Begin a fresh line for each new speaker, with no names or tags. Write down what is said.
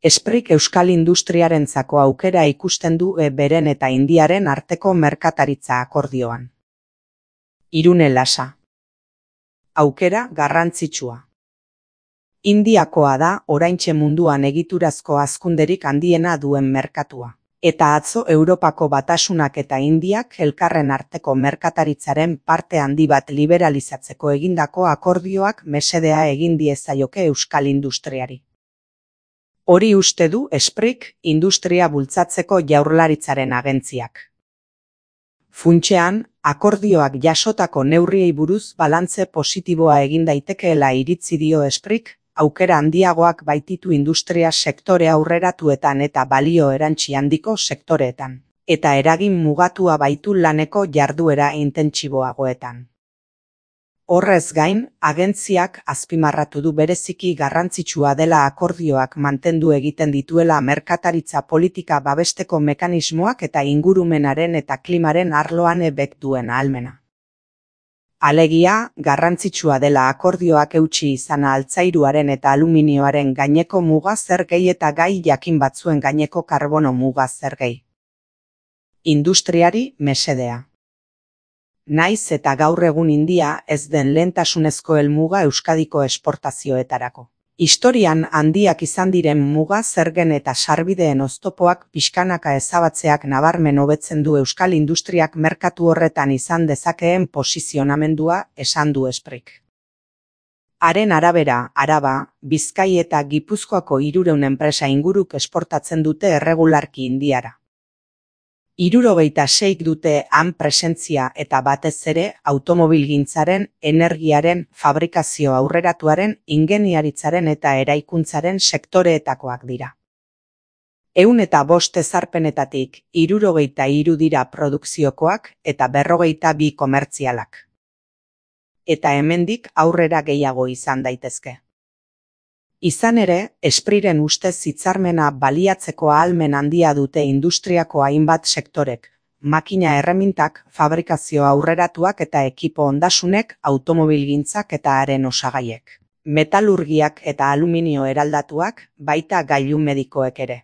Esprik euskal industriarentzako aukera ikusten du beren eta Indiaren arteko merkataritza akordioan. Irune Lasa. Aukera garrantzitsua. Indiakoa da oraintxe munduan egiturazko hazkunderik handiena duen merkatua. Eta atzo Europako Batasunak eta Indiak elkarren arteko merkataritzaren parte handi bat liberalizatzeko egindako akordioak mesedea egin diezaioke euskal industriari. Hori uste du Esprik industria bultzatzeko Jaurlaritzaren agentziak. Funtsean, akordioak jasotako neurriei buruz balantze positiboa egin daitekeela iritzi dio Esprik, aukera handiagoak baititu industria sektore aurreratuetan eta balio erantsi handiko sektoreetan, eta eragin mugatua baitu laneko jarduera intentsiboagoetan. Horrez gain, agentziak azpimarratu du bereziki garrantzitsua dela akordioak mantendu egiten dituela merkataritza politika babesteko mekanismoak eta ingurumenaren eta klimaren arloan ebek duen ahalmena. Alegia, garrantzitsua dela akordioak eutsi izana altzairuaren eta aluminioaren gaineko muga zergei eta gai jakin batzuen gaineko karbono muga zergei. Industriari mesedea. Naiz eta gaur egun India ez den lehentasunezko helmuga Euskadiko esportazioetarako. Historian handiak izan diren muga zergen eta sarbideen oztopoak pixkanaka ezabatzeak nabarmen hobetzen du euskal industriak merkatu horretan izan dezakeen posizionamendua, esan du Esprik. Haren arabera, Araba, Bizkai eta Gipuzkoako 300 enpresa inguruk esportatzen dute erregularki Indiara. 76 dute han presentzia eta batez ere automobilgintzaren, energiaren, fabrikazio aurreratuaren, ingeniaritzaren eta eraikuntzaren sektoreetakoak dira. 105 ezarpenetatik 63 dira produkziokoak eta 42 komertzialak. Eta hemendik aurrera gehiago izan daitezke. Izan ere, Espriren ustez hitzarmena baliatzeko ahalmen handia dute industriako hainbat sektorek, makina erremintak, fabrikazio aurreratuak eta ekipo ondasunek, automobilgintzak eta haren osagaiek, metalurgiak eta aluminio eraldatuak, baita gailu medikoek ere.